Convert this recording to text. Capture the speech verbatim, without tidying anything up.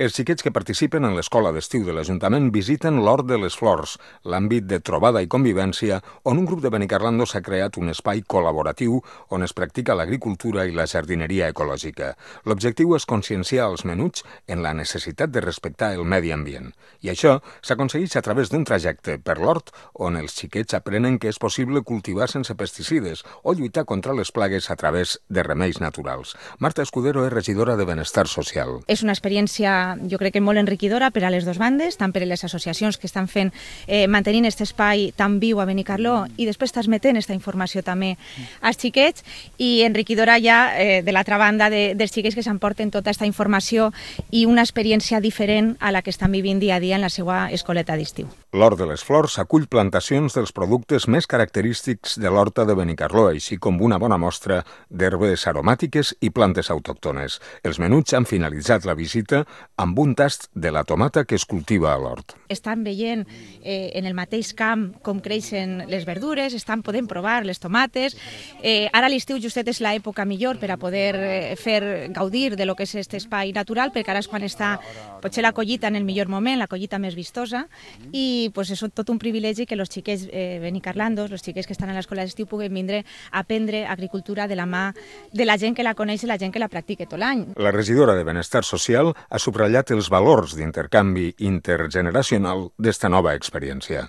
Els xiquets que participen en l'escola d'estiu de l'Ajuntament visiten l'Hort de les Flors, l'àmbit de trobada i convivència on un grup de Benicarlando s'ha creat un espai col·laboratiu on es practica l'agricultura i la jardineria ecològica. L'objectiu és conscienciar els menuts en la necessitat de respectar el medi ambient. I això s'aconsegueix a través d'un trajecte per l'hort on els xiquets aprenen que és possible cultivar sense pesticides o lluitar contra les plagues a través de remeis naturals. Marta Escudero és regidora de Benestar Social. És una experiència jo crec que molt enriquidora per a les dues bandes, tant per a les associacions que estan fent, eh, mantenint aquest espai tan viu a Benicarló i després transmetent aquesta informació també als xiquets i enriquidora ja eh, de l'altra banda de, dels xiquets que s'emporten tota aquesta informació i una experiència diferent a la que estan vivint dia a dia en la seva escoleta d'estiu. L'Hort de les Flors acull plantacions dels productes més característics de l'horta de Benicarló, així com una bona mostra d'herbes aromàtiques i plantes autòctones. Els menuts han finalitzat la visita amb un tast de la tomata que es cultiva a l'hort. Estan veient eh, en el mateix camp com creixen les verdures, estan podent provar les tomates. Eh, ara l'estiu justet és l'època millor per a poder eh, fer gaudir de lo que és aquest espai natural, perquè ara és quan està potser la collita en el millor moment, la collita més vistosa, i pues, és tot un privilegi que els xiquets eh, benicarlandos, els xiquets que estan a l'escola d'estiu, puguen vindre a aprendre agricultura de la mà de la gent que la coneix i la gent que la practica tot l'any. La regidora de Benestar Social ha subratllat els valors d'intercanvi intergeneracional d'esta nova experiència.